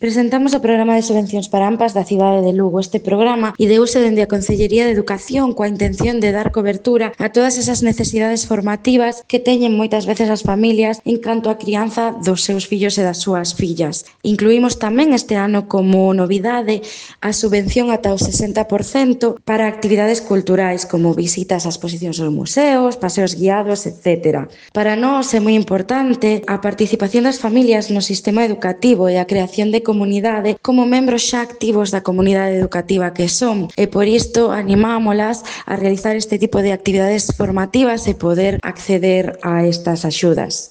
Presentamos o programa de subvencións para AMPAs da cidade de Lugo. Este programa ideouse dende a Consellería de Educación coa intención de dar cobertura a todas esas necesidades formativas que teñen moitas veces as familias en canto á crianza dos seus fillos e das súas fillas. Incluímos tamén este ano como novidade a subvención ata o 60% para actividades culturais como visitas a exposicións aos museos, paseos guiados, etc. Para nós é moi importante a participación das familias no sistema educativo e a creación de comunidade como membros xa activos da comunidade educativa que son, e por isto animámolas a realizar este tipo de actividades formativas e poder acceder a estas axudas.